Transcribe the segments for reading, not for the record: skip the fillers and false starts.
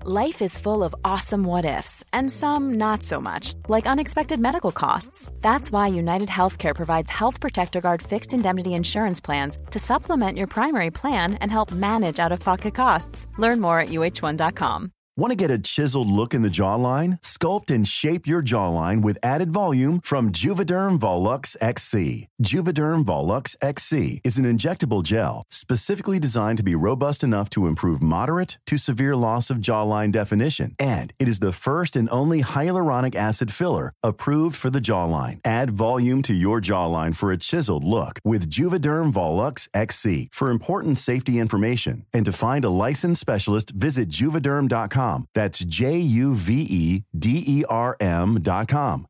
Life is full of awesome what-ifs, and some not so much, like unexpected medical costs. That's why United Healthcare provides Health Protector Guard fixed indemnity insurance plans to supplement your primary plan and help manage out-of-pocket costs. Learn more at uh1.com. Want to get a chiseled look in the jawline? Sculpt and shape your jawline with added volume from Juvederm Volux XC. Juvederm Volux XC is an injectable gel specifically designed to be robust enough to improve moderate to severe loss of jawline definition. And it is the first and only hyaluronic acid filler approved for the jawline. Add volume to your jawline for a chiseled look with Juvederm Volux XC. For important safety information and to find a licensed specialist, visit juvederm.com. That's JUVEDERM.com.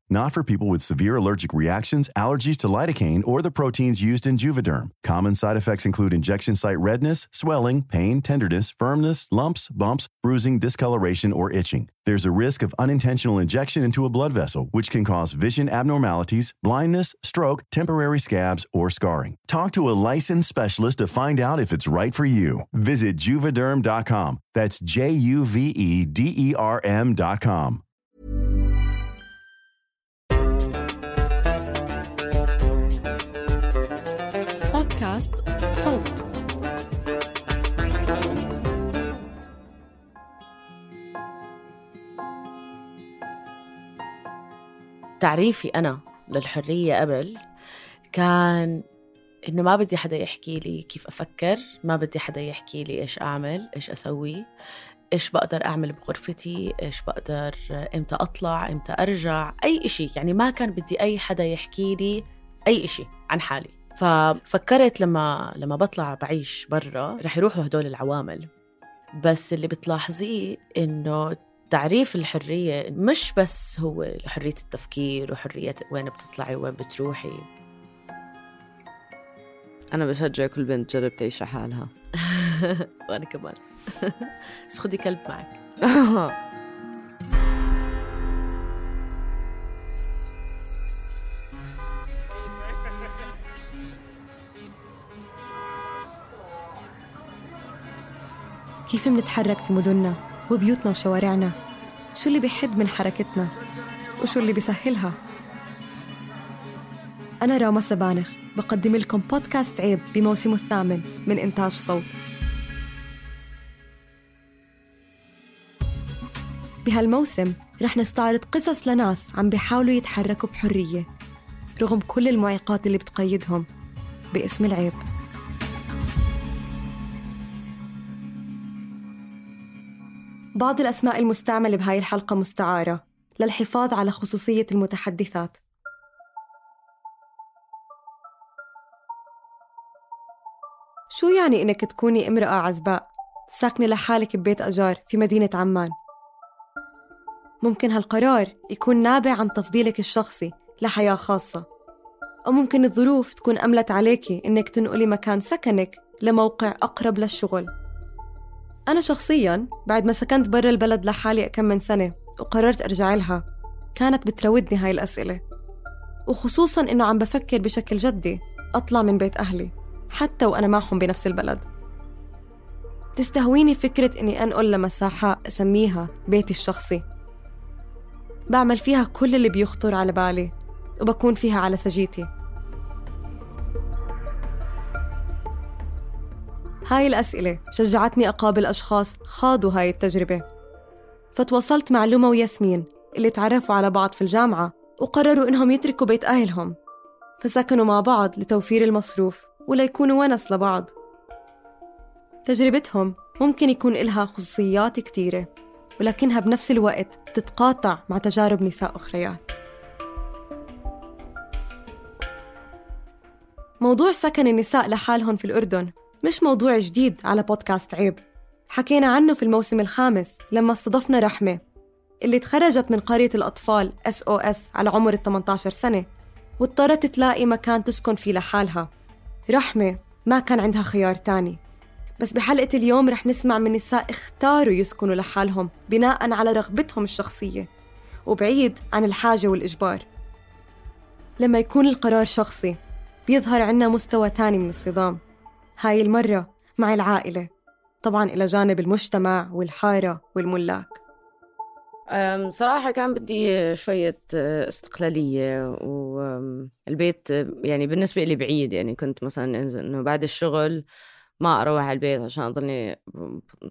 Not for people with severe allergic reactions, allergies to lidocaine, or the proteins used in Juvederm. Common side effects include injection site redness, swelling, pain, tenderness, firmness, lumps, bumps, bruising, discoloration, or itching. There's a risk of unintentional injection into a blood vessel, which can cause vision abnormalities, blindness, stroke, temporary scabs, or scarring. Talk to a licensed specialist to find out if it's right for you. Visit Juvederm.com. That's JUVEDERM.com. بودكاست صوت. تعريفي أنا للحرية قبل كان إنه ما بدي حدا يحكي لي كيف أفكر، ما بدي حدا يحكي لي إيش أعمل، إيش أسوي، إيش بقدر أعمل بغرفتي، إيش بقدر إمتى أطلع، إمتى أرجع، أي إشي. يعني ما كان بدي أي حدا يحكي لي أي إشي عن حالي. ففكرت لما بطلع بعيش برا رح يروحوا هدول العوامل. بس اللي بتلاحظيه إنه تعريف الحرية مش بس هو حرية التفكير وحرية وين بتطلعي وين بتروحي. أنا بشجع كل بنت تجرب تعيش حالها. وأنا كمان. بس خدي كلب معك. كيف منتحرك في مدننا وبيوتنا وشوارعنا؟ شو اللي بيحد من حركتنا؟ وشو اللي بيسهلها؟ أنا راما سبانخ بقدم لكم بودكاست عيب بموسمه الثامن من إنتاج صوت. بهالموسم رح نستعرض قصص لناس عم بيحاولوا يتحركوا بحرية رغم كل المعيقات اللي بتقيدهم باسم العيب. بعض الأسماء المستعملة بهاي الحلقة مستعارة للحفاظ على خصوصية المتحدثات. شو يعني إنك تكوني امرأة عزباء ساكنة لحالك ببيت أجار في مدينة عمان؟ ممكن هالقرار يكون نابع عن تفضيلك الشخصي لحياة خاصة، أو ممكن الظروف تكون أملت عليكي إنك تنقلي مكان سكنك لموقع أقرب للشغل. أنا شخصياً بعد ما سكنت برا البلد لحالي كم من سنة وقررت أرجع لها، كانت بتراودني هاي الأسئلة، وخصوصاً إنه عم بفكر بشكل جدي أطلع من بيت أهلي حتى وأنا معهم بنفس البلد. تستهويني فكرة إني أنقل لمساحة أسميها بيتي الشخصي، بعمل فيها كل اللي بيخطر على بالي وبكون فيها على سجيتي. هاي الأسئلة شجعتني أقابل أشخاص خاضوا هاي التجربة، فتواصلت مع لوما وياسمين اللي تعرفوا على بعض في الجامعة وقرروا إنهم يتركوا بيت أهلهم، فسكنوا مع بعض لتوفير المصروف وليكونوا ونس لبعض. تجربتهم ممكن يكون إلها خصوصيات كتيرة، ولكنها بنفس الوقت تتقاطع مع تجارب نساء أخريات. موضوع سكن النساء لحالهم في الأردن مش موضوع جديد على بودكاست عيب. حكينا عنه في الموسم الخامس لما استضفنا رحمة اللي تخرجت من قرية الأطفال SOS على عمر 18 سنة واضطرت تلاقي مكان تسكن فيه لحالها. رحمة ما كان عندها خيار تاني، بس بحلقة اليوم رح نسمع من نساء اختاروا يسكنوا لحالهم بناء على رغبتهم الشخصية وبعيد عن الحاجة والإجبار. لما يكون القرار شخصي بيظهر عنا مستوى تاني من الصدام، هاي المرة مع العائلة، طبعاً إلى جانب المجتمع والحارة والملاك. صراحة كان بدي شوية استقلالية، والبيت يعني بالنسبة لي بعيد. يعني كنت مثلا إنه بعد الشغل ما أروح على البيت عشان أضلني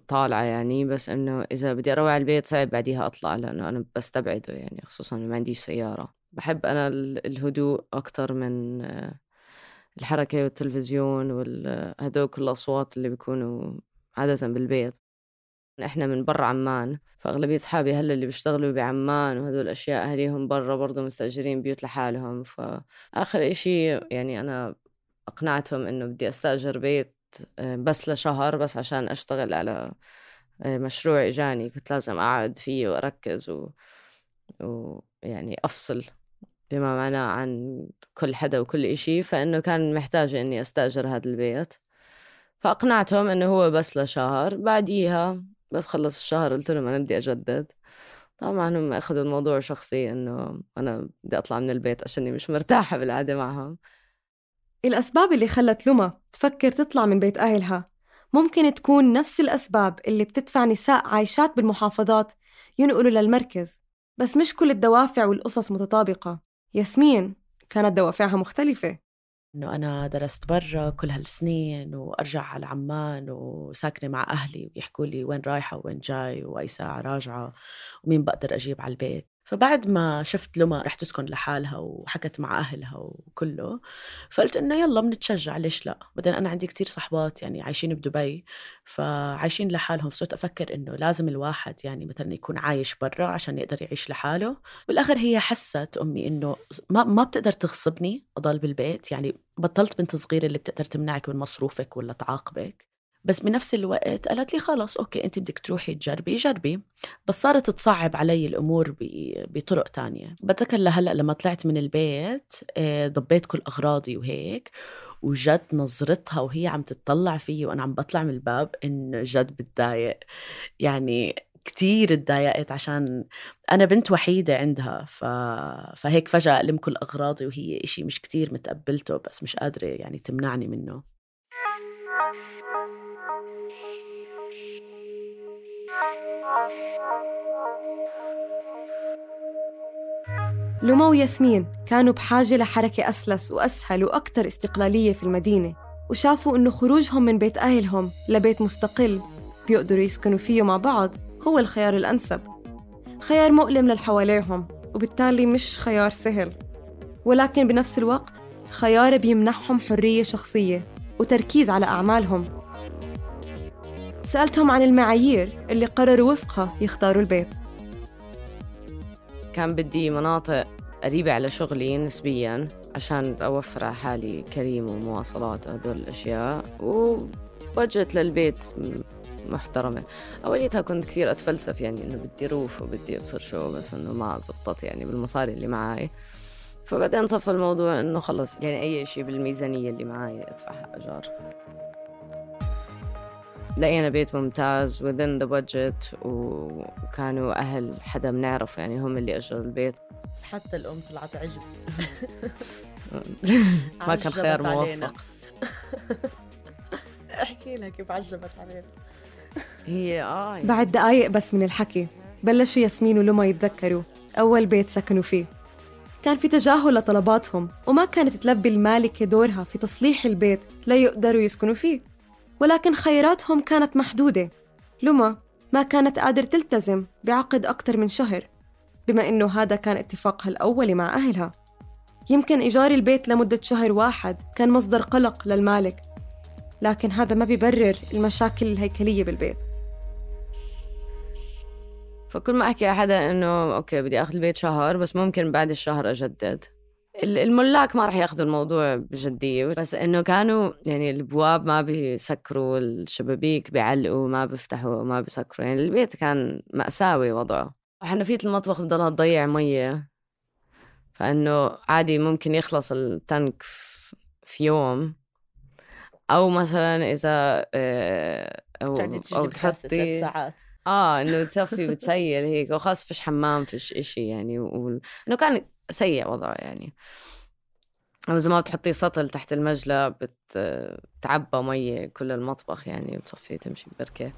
طالعة يعني، بس إنه إذا بدي أروح على البيت صعب بعديها أطلع، لأنه أنا بستبعده يعني، خصوصا ما عنديش سيارة. بحب أنا الهدوء أكتر من الحركة والتلفزيون وهدول كل الأصوات اللي بيكونوا عادة بالبيت. إحنا من برا عمان، فأغلبية أصحابي هلا اللي بيشتغلوا بعمان وهدول الأشياء أهليهم برا برضو مستأجرين بيوت لحالهم. فآخر إشي يعني أنا أقنعتهم إنه بدي أستأجر بيت بس لشهر، بس عشان أشتغل على مشروع إجاني كنت لازم أقعد فيه وأركز ويعني أفصل بما معناه عن كل حدا وكل إشي. فإنه كان محتاج إني أستأجر هذا البيت، فأقنعتهم إنه هو بس لشهر. بعديها بس خلص الشهر قلت لهم أنا بدي أجدد. طبعا هم أخذوا الموضوع شخصي إنه أنا بدي أطلع من البيت عشاني مش مرتاحة بالقعدة معهم. الأسباب اللي خلت لما تفكر تطلع من بيت أهلها ممكن تكون نفس الأسباب اللي بتدفع نساء عايشات بالمحافظات ينقلوا للمركز، بس مش كل الدوافع والقصص متطابقة. ياسمين كانت دوافعها مختلفة. إنه أنا درست برا كل هالسنين وأرجع على عمان وساكنة مع أهلي ويحكوا لي وين رايحة وين جاي وأي ساعة راجعة ومين بقدر أجيب على البيت. فبعد ما شفت لما رح تسكن لحالها وحكت مع أهلها وكله، فقلت إنه يلا بنتشجع، ليش لا. بعدين أنا عندي كتير صحبات يعني عايشين بدبي فعايشين لحالهم، فصرت أفكر إنه لازم الواحد يعني مثلا يكون عايش برا عشان يقدر يعيش لحاله. بالآخر هي حست أمي إنه ما بتقدر تغصبني أضل بالبيت، يعني بطلت بنت صغيرة اللي بتقدر تمنعك من مصروفك ولا تعاقبك. بس بنفس الوقت قالت لي خلاص أوكي أنت بدك تروحي تجربي جربي. بس صارت تصعب علي الأمور بطرق تانية. بتذكر لهلأ لما طلعت من البيت ضبيت كل أغراضي وهيك، وجد نظرتها وهي عم تتطلع فيي وأنا عم بطلع من الباب إن جد بتضايق. يعني كتير اتضايقت عشان أنا بنت وحيدة عندها، فهيك فجأة ألم كل أغراضي وهي إشي مش كتير متقبلته بس مش قادرة يعني تمنعني منه. لما وياسمين كانوا بحاجة لحركة أسلس وأسهل وأكتر استقلالية في المدينة، وشافوا إنه خروجهم من بيت أهلهم لبيت مستقل بيقدروا يسكنوا فيه مع بعض هو الخيار الأنسب. خيار مؤلم للحواليهم وبالتالي مش خيار سهل، ولكن بنفس الوقت خيار بيمنحهم حرية شخصية وتركيز على أعمالهم. سألتهم عن المعايير اللي قرروا وفقها يختاروا البيت. كان بدي مناطق قريبة على شغلي نسبياً عشان أوفر على حالي كريم ومواصلات وهدول الأشياء، وبجت للبيت محترمة. أوليتها كنت كثير أتفلسف يعني إنه بدي روف وبدي أبصر شو، بس إنه ما زبطت يعني بالمصاري اللي معاي. فبعدين صف الموضوع إنه خلص يعني أي شيء بالميزانية اللي معاي أدفعها أجار. لقينا بيت ممتاز within the budget، وكانوا أهل حدا بنعرف يعني هم اللي أجروا البيت. بس حتى الأم طلعت عجب. ما كان خيار موفق. احكي لها كيف عجبت علينا. هي بعد دقايق بس من الحكي بلشوا ياسمين ولما يتذكروا أول بيت سكنوا فيه. كان في تجاهل لطلباتهم، وما كانت تلبي المالكة دورها في تصليح البيت لا يقدروا يسكنوا فيه، ولكن خياراتهم كانت محدودة. لما ما كانت قادر تلتزم بعقد أكتر من شهر، بما إنه هذا كان اتفاقها الأولي مع أهلها. يمكن إيجار البيت لمدة شهر واحد كان مصدر قلق للمالك، لكن هذا ما بيبرر المشاكل الهيكلية بالبيت. فكل ما أحكي أحدا إنه أوكي بدي أخذ البيت شهر، بس ممكن بعد الشهر أجدد. الملاك ما رح ياخذوا الموضوع بجدية، بس إنه كانوا يعني البواب ما بيسكروا، الشبابيك بيعلقوا ما بيفتحوا ما بيسكروا، يعني البيت كان مأساوي وضعه. حنفية المطبخ بضلها تضيع مية، فإنه عادي ممكن يخلص التانك في يوم، أو مثلا إذا أو تحطي ساعات إنه تصفي بتسيل هيك، وخاص فيش حمام فيش إشي يعني، إنه كان سيء وضعه يعني. أو إذا ما بتحطي سطل تحت المجلة بتعبى مية كل المطبخ يعني وتصفي تمشي ببركة.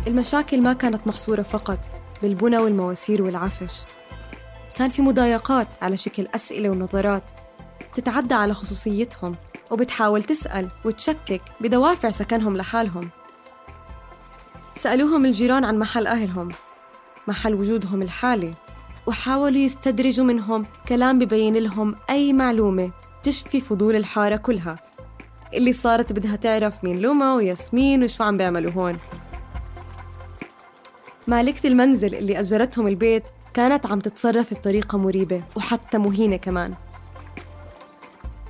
المشاكل ما كانت محصورة فقط بالبنى والمواسير والعفش، كان في مضايقات على شكل أسئلة ونظرات تتعدى على خصوصيتهم وبتحاول تسأل وتشكك بدوافع سكنهم لحالهم. سألوهم الجيران عن محل أهلهم، محل وجودهم الحالي، وحاولوا يستدرجوا منهم كلام ببين لهم أي معلومة تشفي فضول الحارة كلها اللي صارت بدها تعرف مين لوما وياسمين وشو عم بيعملوا هون. مالكة المنزل اللي أجرتهم البيت كانت عم تتصرف بطريقة مريبة وحتى مهينة كمان.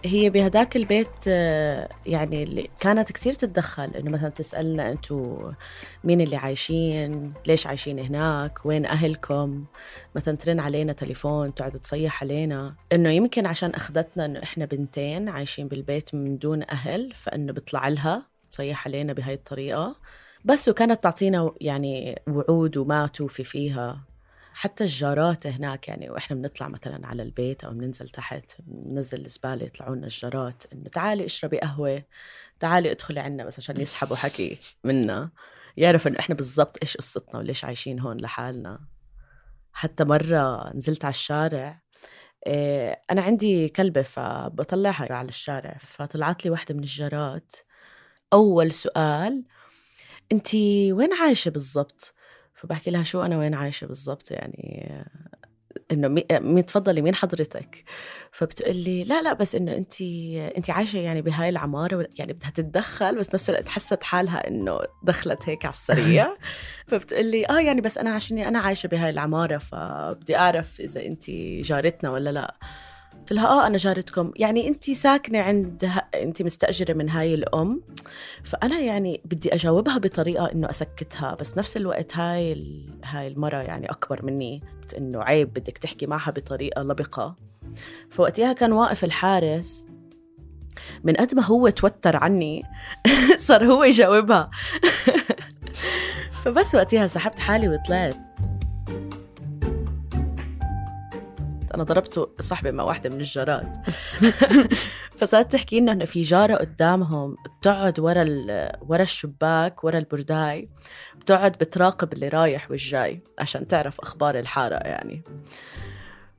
هي بهداك البيت يعني اللي كانت كتير تتدخل، إنه مثلا تسألنا أنتوا مين اللي عايشين، ليش عايشين هناك، وين أهلكم، مثلا ترن علينا تليفون تقعد تصيح علينا، إنه يمكن عشان أخذتنا إنه إحنا بنتين عايشين بالبيت من دون أهل فإنه بيطلع لها تصيح علينا بهاي الطريقة بس. وكانت تعطينا يعني وعود وما توفي فيها. حتى الجارات هناك يعني، وإحنا بنطلع مثلا على البيت أو بننزل تحت بننزل الزبالة يطلعونا الجارات إنه تعالي اشربي قهوة، تعالي ادخلي عنا بس عشان يسحبوا حكي منا، يعرف إنه إحنا بالضبط إيش قصتنا وليش عايشين هون لحالنا. حتى مرة نزلت على الشارع، أنا عندي كلبة فبطلعها على الشارع، فطلعت لي واحدة من الجارات أول سؤال أنتي وين عايشة بالضبط؟ فبحكي لها شو أنا وين عايشة بالضبط يعني، إنه مين تفضلي مين حضرتك؟ فبتقول لي لا بس إنه أنتي عايشة يعني بهاي العمارة، يعني بدها تتدخل بس نفس الوقت حست حالها إنه دخلت هيك على السريع. فبتقول لي يعني بس أنا عشاني أنا عايشة بهاي العمارة فبدي أعرف إذا أنتي جارتنا ولا لا. قلت لها أنا جارتكم، يعني أنتي ساكنة أنتي مستأجرة من هاي الأم. فأنا يعني بدي أجاوبها بطريقة إنه أسكتها، بس نفس الوقت هاي المرة يعني أكبر مني، إنه عيب بدك تحكي معها بطريقة لبقة. فوقتها كان واقف الحارس، من قد ما هو توتر عني صار هو يجاوبها. فبس وقتها سحبت حالي وطلعت. أنا ضربت صاحبي مع واحدة من الجارات. فصارت تحكي إنه في جارة قدامهم بتقعد ورا الشباك ورا البرداي، بتقعد بتراقب اللي رايح والجاي عشان تعرف أخبار الحارة يعني.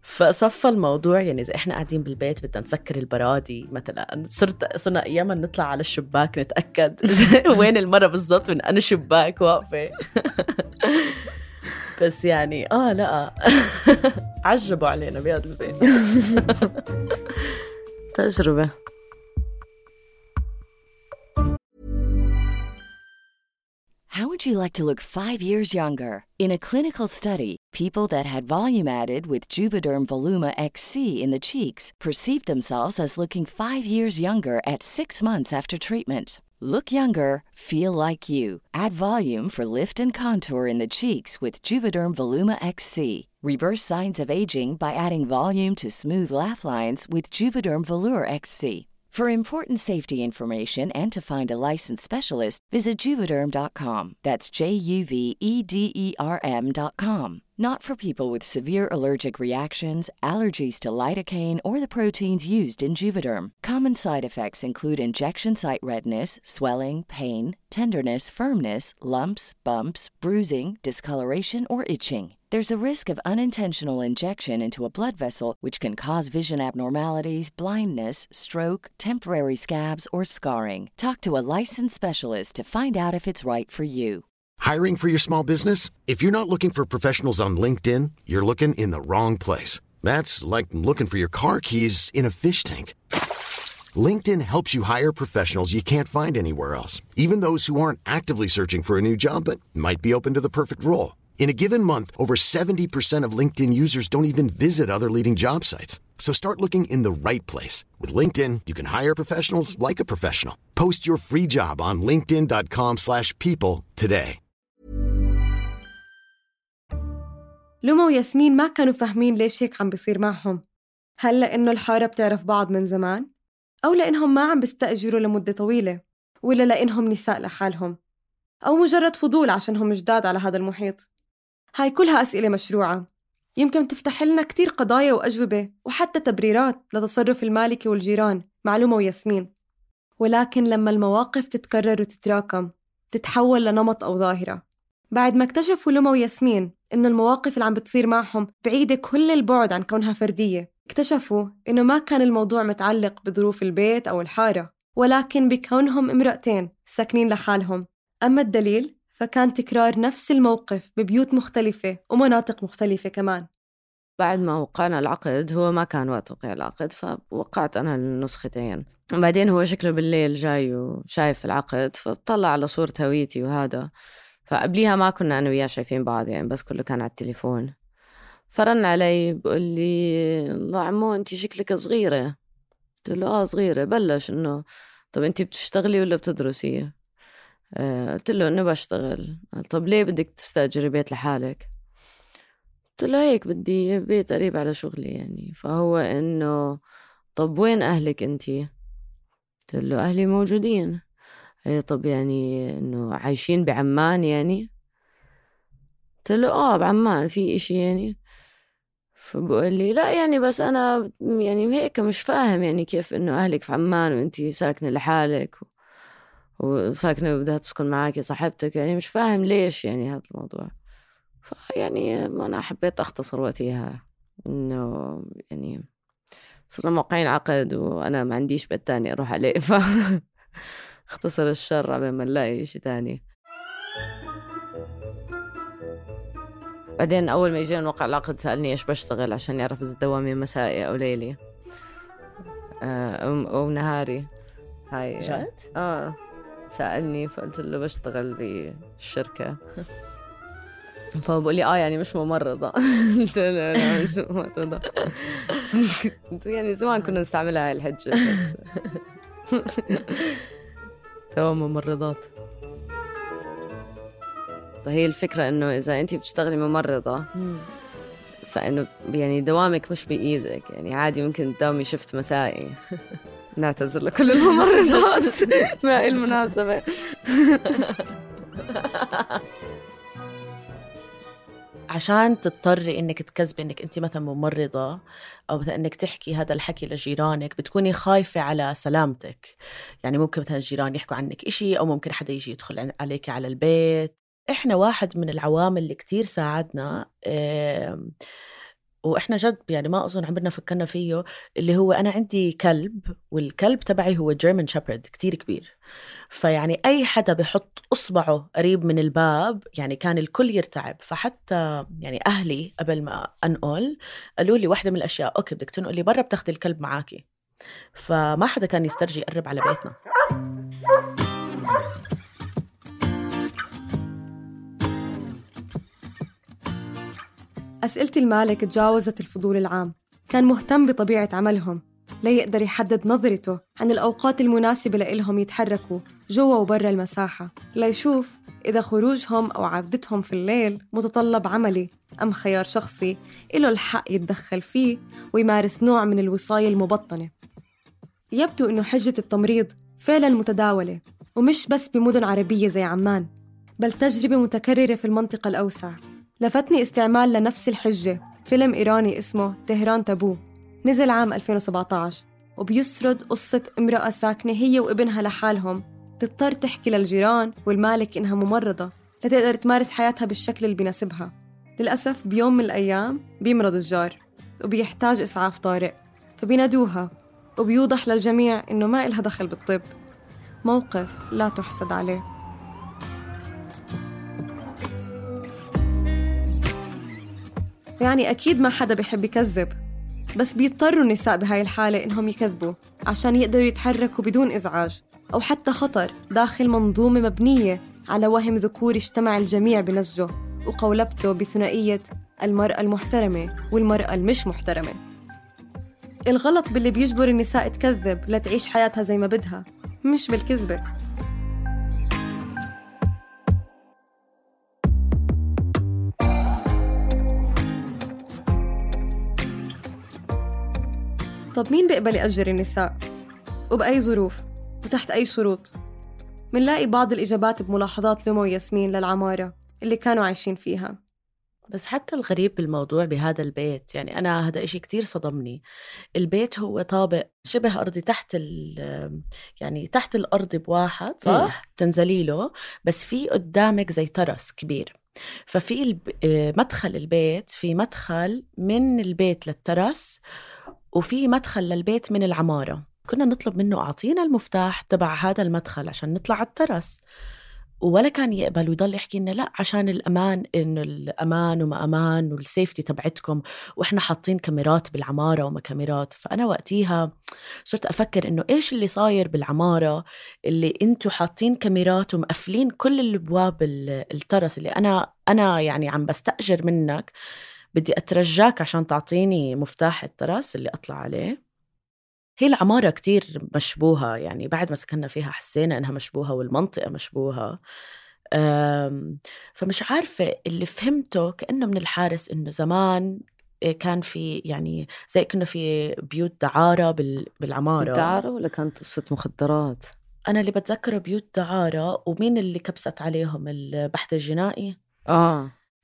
فصفى الموضوع يعني إذا إحنا قاعدين بالبيت بدنا نسكر البرادي مثلا، صرنا أياما نطلع على الشباك نتأكد وين المرة بالضبط من أنا شباك واقفة. بس يعني لا عجبوا علينا بهذا البيت. تجربة. How would you like to look 5 years younger? In a clinical study, people that had volume added with Juvederm Voluma XC in the cheeks perceived themselves as looking 5 years younger at 6 months after treatment. Look younger, feel like you. Add volume for lift and contour in the cheeks with Juvederm Voluma XC. Reverse signs of aging by adding volume to smooth laugh lines with Juvederm Volure XC. For important safety information and to find a licensed specialist, visit Juvederm.com. That's JUVEDERM.com. Not for people with severe allergic reactions, allergies to lidocaine, or the proteins used in Juvederm. Common side effects include injection site redness, swelling, pain, tenderness, firmness, lumps, bumps, bruising, discoloration, or itching. There's a risk of unintentional injection into a blood vessel, which can cause vision abnormalities, blindness, stroke, temporary scabs, or scarring. Talk to a licensed specialist to find out if it's right for you. Hiring for your small business? If you're not looking for professionals on LinkedIn, you're looking in the wrong place. That's like looking for your car keys in a fish tank. LinkedIn helps you hire professionals you can't find anywhere else, even those who aren't actively searching for a new job but might be open to the perfect role. In a given month, over 70% of LinkedIn users don't even visit other leading job sites. So start looking in the right place. With LinkedIn, you can hire professionals like a professional. Post your free job on linkedin.com/people today. لوما وياسمين ما كانوا فاهمين ليش هيك عم بيصير معهم. هل لأنه الحارة بتعرف بعض من زمان؟ أو لأنهم ما عم بيستأجروا لمدة طويلة؟ ولا لأنهم نساء لحالهم؟ أو مجرد فضول عشانهم جداد على هذا المحيط؟ هاي كلها أسئلة مشروعة، يمكن تفتح لنا كتير قضايا وأجوبة وحتى تبريرات لتصرف المالكة والجيران مع لوما وياسمين. ولكن لما المواقف تتكرر وتتراكم تتحول لنمط أو ظاهرة. بعد ما اكتشفوا لوما وياسمين إنه المواقف اللي عم بتصير معهم بعيدة كل البعد عن كونها فردية، اكتشفوا إنه ما كان الموضوع متعلق بظروف البيت أو الحارة، ولكن بكونهم امرأتين ساكنين لحالهم. أما الدليل فكان تكرار نفس الموقف ببيوت مختلفة ومناطق مختلفة كمان. بعد ما وقعنا العقد، هو ما كان وقت وقع العقد، فوقعت أنا النسختين. وبعدين هو شكله بالليل جاي وشايف العقد، فبطلع على صورة هويتي وهذا. فقبليها ما كنا أنا وياه شايفين بعض يعني، بس كله كان على التليفون. فرن علي بقول لي الله عمو أنتي شكلك صغيرة. قلت له صغيرة. بلش إنه طب أنتي بتشتغلي ولا بتدرسي؟ قلت له إنه بشتغل. قال طب ليه بدك تستأجري بيت لحالك؟ قلت له هيك بدي بيت قريب على شغلي يعني. فهو إنه طب وين أهلك أنتي؟ قلت له أهلي موجودين. طب يعني إنه عايشين بعمان يعني؟ قلت له بعمان في إشي يعني؟ فبقول لي لا يعني بس أنا يعني هيك مش فاهم يعني كيف إنه أهلك في عمان وإنتي ساكنة لحالك وساكنة وبدها تسكن معاكي صاحبتك، يعني مش فاهم ليش يعني هذا الموضوع. فيعني أنا حبيت أختصر وقتها إنه يعني صرنا موقعين عقد وأنا ما عنديش بيت تاني أروح عليه، اختصر الشر قبل ما نلاقي شيء تاني. بعدين أول ما يجينا نوقع العقد سألني إيش بشتغل عشان يعرف إذا دوامي مسائي أو ليلي أو نهاري. هاي جد؟ سألني فقلت له بشتغل بالشركة. فبقول لي يعني مش ممرضة. قلت له لا مش ممرضة. يعني زمان كنا نستعملها هاي الحجة بس توا ممرضات. فهي الفكرة إنه إذا أنتي بتشتغلي ممرضة فإنه يعني دوامك مش بإيدك، يعني عادي ممكن تداومي شفت مسائي. نعتذر لكل الممرضات مع المناسبة. عشان تضطري إنك تكذبي إنك أنت مثلا ممرضة أو مثلا إنك تحكي هذا الحكي لجيرانك، بتكوني خايفة على سلامتك. يعني ممكن مثلا الجيران يحكوا عنك إشي، أو ممكن حدا يجي يدخل عليك على البيت. إحنا واحد من العوامل اللي كتير ساعدنا وإحنا جد يعني ما أظن عمرنا فكرنا فيه، اللي هو أنا عندي كلب، والكلب تبعي هو جيرمان شيبرد كتير كبير. فيعني أي حدا بيحط أصبعه قريب من الباب يعني كان الكل يرتعب. فحتى يعني أهلي قبل ما أنقل قالوا لي واحدة من الأشياء أوكي بدك تنقلي برا بتاخدي الكلب معاكي. فما حدا كان يسترجي يقرب على بيتنا. أسئلة المالك تجاوزت الفضول العام. كان مهتم بطبيعة عملهم ليقدر يحدد نظرته عن الأوقات المناسبة لإلهم يتحركوا جوا وبرا المساحة، ليشوف إذا خروجهم أو عودتهم في الليل متطلب عملي أم خيار شخصي إله الحق يتدخل فيه ويمارس نوع من الوصاية المبطنة. يبدو إنه حجة التمريض فعلاً متداولة، ومش بس بمدن عربية زي عمان، بل تجربة متكررة في المنطقة الأوسع. لفتني استعمال لنفس الحجة فيلم إيراني اسمه تهران تابو، نزل عام 2017، وبيسرد قصة امرأة ساكنة هي وابنها لحالهم، تضطر تحكي للجيران والمالك إنها ممرضة لتقدر تمارس حياتها بالشكل اللي بيناسبها. للأسف بيوم من الأيام بيمرض الجار وبيحتاج إسعاف طارئ، فبينادوها وبيوضح للجميع إنه ما إلها دخل بالطب. موقف لا تحسد عليه. يعني أكيد ما حدا بيحب يكذب، بس بيضطروا النساء بهاي الحالة إنهم يكذبوا عشان يقدروا يتحركوا بدون إزعاج أو حتى خطر داخل منظومة مبنية على وهم ذكوري اجتمع الجميع بنسجه وقولبته بثنائية المرأة المحترمة والمرأة المش محترمة. الغلط باللي بيجبر النساء تكذب لتعيش حياتها زي ما بدها، مش بالكذبة. طب مين بيقبل يأجر النساء؟ وبأي ظروف؟ وتحت أي شروط؟ منلاقي بعض الإجابات بملاحظات لوما وياسمين للعمارة اللي كانوا عايشين فيها. بس حتى الغريب بالموضوع بهذا البيت، يعني أنا هذا إشي كتير صدمني. البيت هو طابق شبه أرضي يعني تحت الأرض بواحد، صح؟ تنزلي له، بس في قدامك زي ترس كبير. ففي مدخل البيت، في مدخل من البيت للترس، وفي مدخل للبيت من العمارة. كنا نطلب منه أعطينا المفتاح تبع هذا المدخل عشان نطلع على الترس، ولا كان يقبل ويضل يحكي لنا لا عشان الأمان، إنه الأمان وما أمان والسيفتي تبعتكم، وإحنا حاطين كاميرات بالعمارة وما كاميرات. فأنا وقتيها صرت أفكر إنه إيش اللي صاير بالعمارة اللي أنتوا حاطين كاميرات ومقفلين كل الأبواب الترس اللي أنا يعني عم بستأجر منك، بدي أترجاك عشان تعطيني مفتاح الترس اللي أطلع عليه. هي العمارة كتير مشبوهة، يعني بعد ما سكننا فيها حسينا إنها مشبوهة والمنطقة مشبوهة. فمش عارفة، اللي فهمته كأنه من الحارس إنه زمان كان في يعني زي كنا في بيوت دعارة بالعمارة. دعارة ولا كانت قصة مخدرات؟ أنا اللي بتذكره بيوت دعارة. ومين اللي كبست عليهم؟ البحث الجنائي.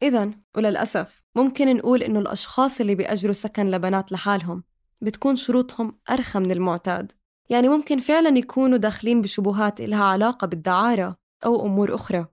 إذن وللأسف ممكن نقول إنه الأشخاص اللي بيأجروا سكن لبنات لحالهم بتكون شروطهم أرخى من المعتاد. يعني ممكن فعلاً يكونوا داخلين بشبهات إلها علاقة بالدعارة أو أمور أخرى.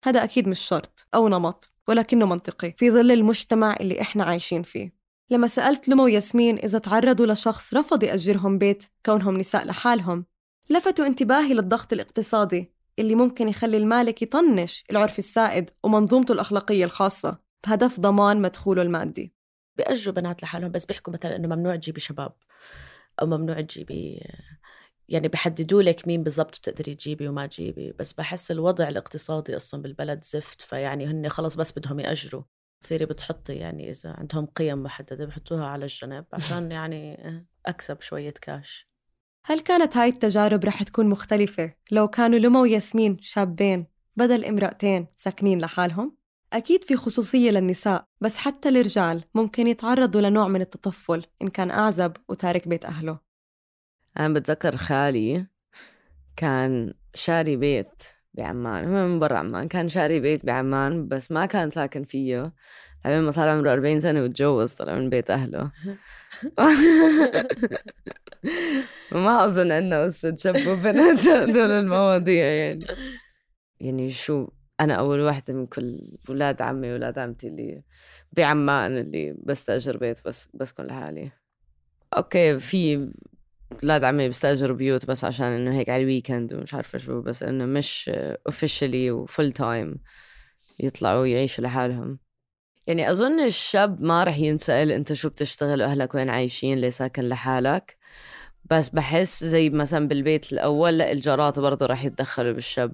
هذا أكيد مش شرط أو نمط، ولكنه منطقي في ظل المجتمع اللي إحنا عايشين فيه. لما سألت لمو وياسمين إذا تعرضوا لشخص رفض يأجرهم بيت كونهم نساء لحالهم، لفتوا انتباهي للضغط الاقتصادي اللي ممكن يخلي المالك يطنش العرف السائد ومنظومته الأخلاقية الخاصة بهدف ضمان مدخوله المادي. بيأجروا بنات لحالهم، بس بيحكوا مثلا إنه ممنوع تجيبي شباب أو ممنوع تجيبي، يعني بحددوا لك مين بالضبط بتقدري تجيبي وما تجيبي. بس بحس الوضع الاقتصادي أصلا بالبلد زفت، فيعني هن خلص بس بدهم يأجروا. تصيري بتحطي يعني إذا عندهم قيم محددة بحطوها على الجنب عشان يعني أكسب شوية كاش. هل كانت هاي التجارب رح تكون مختلفة لو كانوا لمو وياسمين شابين بدل امرأتين ساكنين لحالهم؟ أكيد في خصوصية للنساء، بس حتى الرجال ممكن يتعرضوا لنوع من التطفل إن كان أعزب وتارك بيت أهله. أنا بتذكر خالي كان شاري بيت بعمان، هو من برا عمان، كان شاري بيت بعمان بس ما كان ساكن فيه لما ما صار عمره 40 سنة وتجوز، طلع من بيت أهله. وما أظن أنه استتشبوا بنات دول المواضيع. يعني شو، أنا أول واحدة من كل ولاد عمي ولاد عمتي اللي بعمان اللي بستأجر بيت بس كل حالي. أوكي، في ولاد عمي بستأجروا بيوت بس عشان إنه هيك على الويكند ومش عارفة شو، بس إنه مش officially وفول تايم يطلعوا يعيشوا لحالهم. يعني أظن الشاب ما رح ينسأل أنت شو بتشتغل وأهلك وين عايشين ليه ساكن لحالك، بس بحس زي مثلا بالبيت الأول لا، الجارات برضو رح يتدخلوا بالشاب.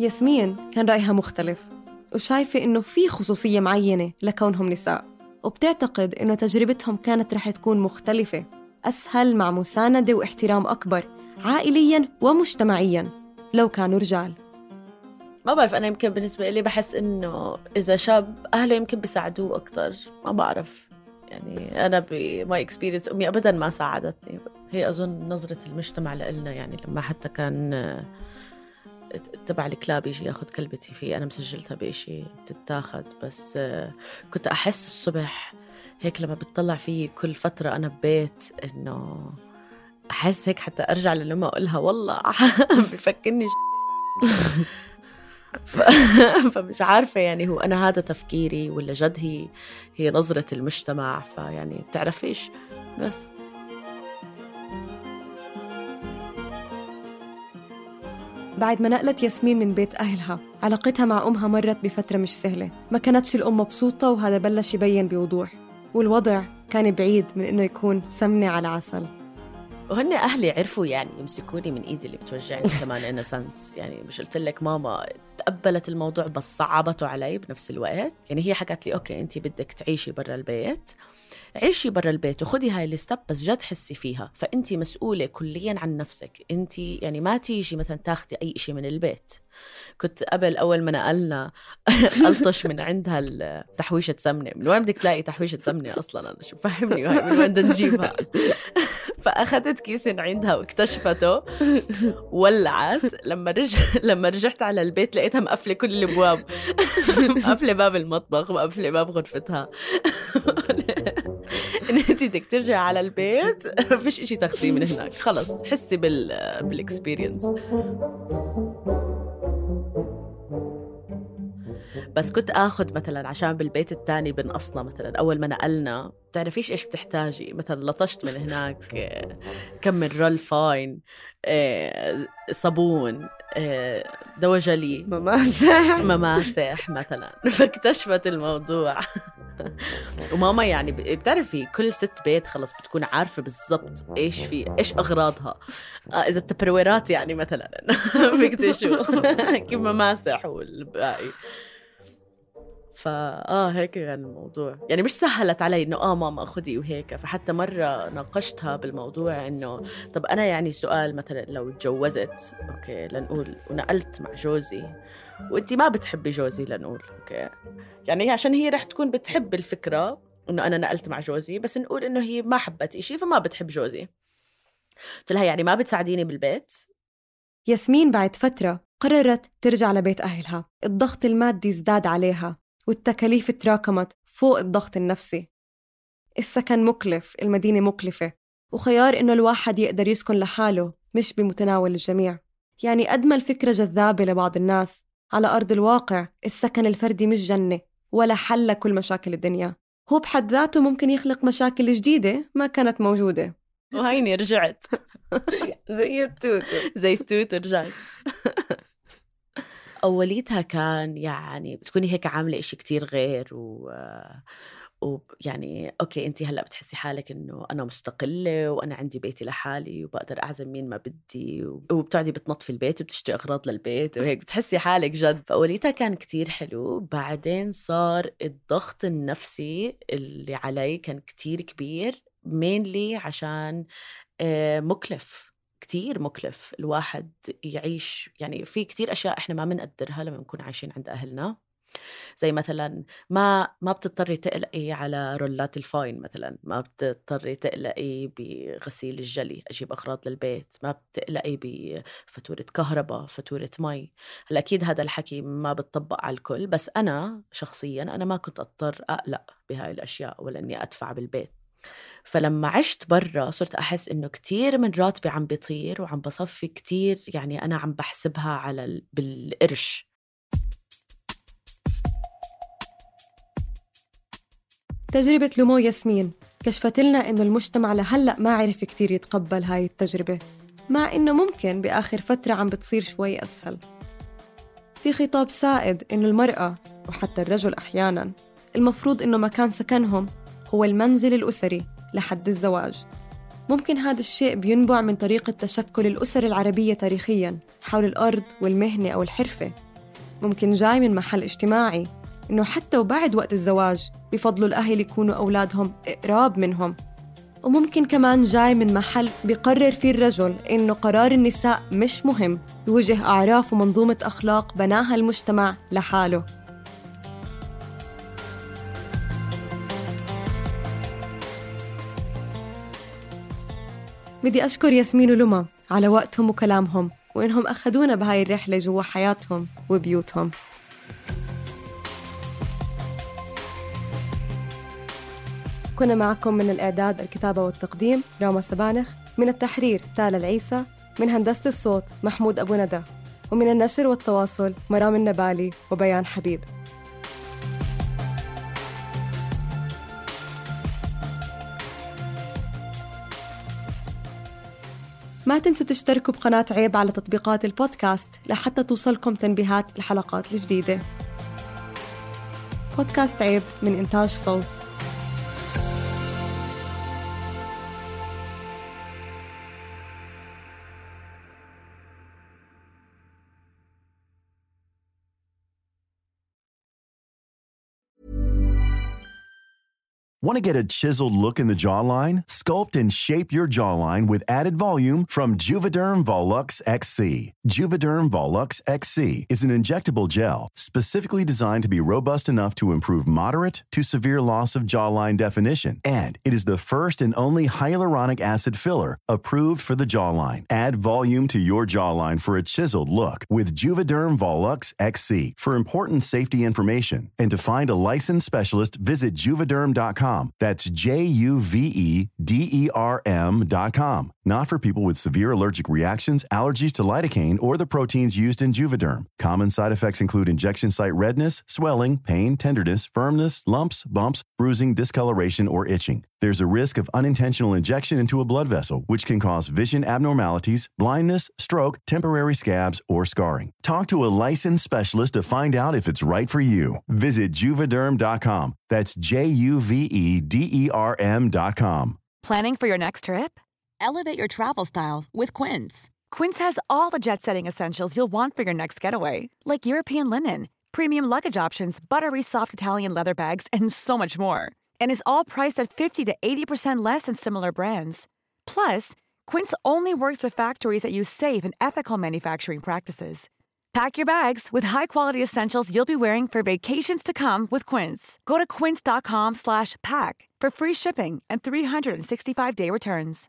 ياسمين كان رأيها مختلف، وشايفة إنه في خصوصية معينة لكونهم نساء، وبتعتقد إنه تجربتهم كانت رح تكون مختلفة، أسهل، مع مساندة واحترام أكبر عائلياً ومجتمعياً لو كانوا رجال. ما بعرف، أنا يمكن بالنسبة لي بحس إنه إذا شاب أهله يمكن بيساعدوه أكتر، ما بعرف. يعني أنا بماي إكسبيرينس أمي أبداً ما ساعدتني. هي أظن نظرة المجتمع لإلنا، يعني لما حتى كان تبع الكلاب يجي ياخد كلبتي فيه، أنا مسجلتها بإشي تتاخد، بس كنت أحس الصبح هيك لما بتطلع فيه كل فترة أنا ببيت إنه أحس هيك حتى أرجع للأمة أقولها والله بفكرني فمش عارفة يعني هو أنا هذا تفكيري ولا جد هي نظرة المجتمع، فيعني بتعرفيش. بس بعد ما نقلت ياسمين من بيت أهلها، علاقتها مع أمها مرت بفترة مش سهلة، ما كانتش الأم مبسوطة، وهذا بلش يبين بوضوح، والوضع كان بعيد من إنه يكون سمنة على عسل. وهن أهلي عرفوا يعني يمسكوني من إيدي اللي بتوجعني كمان إنسنس. يعني مش قلت لك ماما تقبلت الموضوع بس صعبته علي بنفس الوقت. يعني هي حكت لي أوكي أنتي بدك تعيشي برا البيت، عيشي برا البيت وخدي هاي الستب، بس جد حسي فيها، فأنتي مسؤولة كليا عن نفسك. أنتي يعني ما تيجي مثلا تاخدي أي إشي من البيت. كنت قبل أول ما نقلنا ألطش من عندها تحويشة سمنة. من وين بدك تلاقي تحويشة سمنة أصلا؟ أنا شو فهمني من وين بدنا نجيبها؟ فأخذت كيس من عندها واكتشفته، ولعت. لما رجعت على البيت لقيتها مقفلة كل الابواب، مقفلة باب المطبخ، مقفلة باب غرفتها. إن أنت بدك ترجع على البيت ما فيش إشي تاخذيه من هناك، خلص حسي بالاكسبيرينس. بس كنت آخذ مثلا عشان بالبيت التاني بنقصنا مثلا أول ما نقلنا، بتعرفيش إيش بتحتاجي، مثلا لطشت من هناك كم من رول فاين، صابون، دواء جلي، مماسح مثلا. فاكتشفت الموضوع. وماما يعني بتعرفي كل ست بيت خلص بتكون عارفة بالضبط إيش أغراضها. إذا التبرويرات يعني مثلا بيكتشفوا كيف مماسح والباقي. هيك كان الموضوع. يعني مش سهلت علي إنه ماما أخذي وهيك. فحتى مرة ناقشتها بالموضوع إنه طب أنا يعني سؤال مثلا لو اتجوزت أوكي لنقول ونقلت مع جوزي وإنتي ما بتحبي جوزي لنقول أوكي، يعني عشان هي رح تكون بتحب الفكرة إنه أنا نقلت مع جوزي، بس نقول إنه هي ما حبت إشي فما بتحب جوزي. قلت لها يعني ما بتساعديني بالبيت؟ ياسمين بعد فترة قررت ترجع لبيت أهلها. الضغط المادي ازداد عليها والتكاليف تراكمت فوق الضغط النفسي. السكن مكلف، المدينة مكلفة، وخيار إنه الواحد يقدر يسكن لحاله مش بمتناول الجميع. يعني قد ما الفكرة جذابة لبعض الناس، على أرض الواقع السكن الفردي مش جنة ولا حل لكل مشاكل الدنيا. هو بحد ذاته ممكن يخلق مشاكل جديدة ما كانت موجودة. وهيني رجعت زي التوت رجعت. أوليتها كان يعني بتكوني هيك عاملة إشي كتير غير ويعني أوكي أنتي هلأ بتحسي حالك إنه أنا مستقلة وأنا عندي بيتي لحالي وبقدر أعزم مين ما بدي وبتقعدي بتنظفي البيت وبتشتري أغراض للبيت وهيك بتحسي حالك جد. فأوليتها كان كتير حلو. بعدين صار الضغط النفسي اللي علي كان كتير كبير، mainly عشان مكلف، كتير مكلف الواحد يعيش. يعني في كتير أشياء إحنا ما منقدرها لما نكون عايشين عند أهلنا، زي مثلا ما بتضطري تقلقي على رولات الفاين مثلا، ما بتضطري تقلقي بغسيل الجلي أجيب أغراض للبيت، ما بتقلقي بفاتورة كهرباء، فاتورة مي. هلا أكيد هذا الحكي ما بتطبق على الكل، بس أنا شخصيا أنا ما كنت أضطر أقلق بهاي الأشياء ولا أني أدفع بالبيت. فلما عشت برا صرت أحس إنه كتير من راتبي عم بيطير وعم بصفي كتير، يعني أنا عم بحسبها على بالقرش. تجربة لومو ياسمين كشفت لنا إنه المجتمع لهلأ ما عرف كتير يتقبل هاي التجربة، مع إنه ممكن بآخر فترة عم بتصير شوي أسهل. في خطاب سائد إنه المرأة وحتى الرجل أحياناً المفروض إنه مكان سكنهم هو المنزل الأسري لحد الزواج. ممكن هذا الشيء بينبع من طريقة تشكل الأسر العربية تاريخياً حول الأرض والمهنة أو الحرفة. ممكن جاي من محل اجتماعي إنه حتى وبعد وقت الزواج بفضلوا الأهل يكونوا أولادهم قراب منهم. وممكن كمان جاي من محل بيقرر فيه الرجل إنه قرار النساء مش مهم، يوجه أعراف ومنظومة أخلاق بناها المجتمع لحاله. بدي أشكر ياسمين ولما على وقتهم وكلامهم وإنهم أخذونا بهاي الرحلة جوا حياتهم وبيوتهم. كنا معكم من الإعداد، الكتابة والتقديم راما سبانخ، من التحرير تالا العيسى، من هندسة الصوت محمود أبو ندى، ومن النشر والتواصل مرام النبالي وبيان حبيب. ما تنسوا تشتركوا بقناة عيب على تطبيقات البودكاست لحتى توصلكم تنبيهات الحلقات الجديدة. بودكاست عيب من إنتاج صوت. Want to get a chiseled look in the jawline? Sculpt and shape your jawline with added volume from Juvederm Volux XC. Juvederm Volux XC is an injectable gel specifically designed to be robust enough to improve moderate to severe loss of jawline definition. And it is the first and only hyaluronic acid filler approved for the jawline. Add volume to your jawline for a chiseled look with Juvederm Volux XC. For important safety information and to find a licensed specialist, visit Juvederm.com. That's Juvederm.com. Not for people with severe allergic reactions, allergies to lidocaine, or the proteins used in Juvederm. Common side effects include injection site redness, swelling, pain, tenderness, firmness, lumps, bumps, bruising, discoloration, or itching. There's a risk of unintentional injection into a blood vessel, which can cause vision abnormalities, blindness, stroke, temporary scabs, or scarring. Talk to a licensed specialist to find out if it's right for you. Visit Juvederm.com. That's Juvederm.com. Planning for your next trip? Elevate your travel style with Quince. Quince has all the jet-setting essentials you'll want for your next getaway, like European linen, premium luggage options, buttery soft Italian leather bags, and so much more. And is all priced at 50 to 80% less than similar brands. Plus, Quince only works with factories that use safe and ethical manufacturing practices. Pack your bags with high-quality essentials you'll be wearing for vacations to come with Quince. Go to quince.com/pack for free shipping and 365-day returns.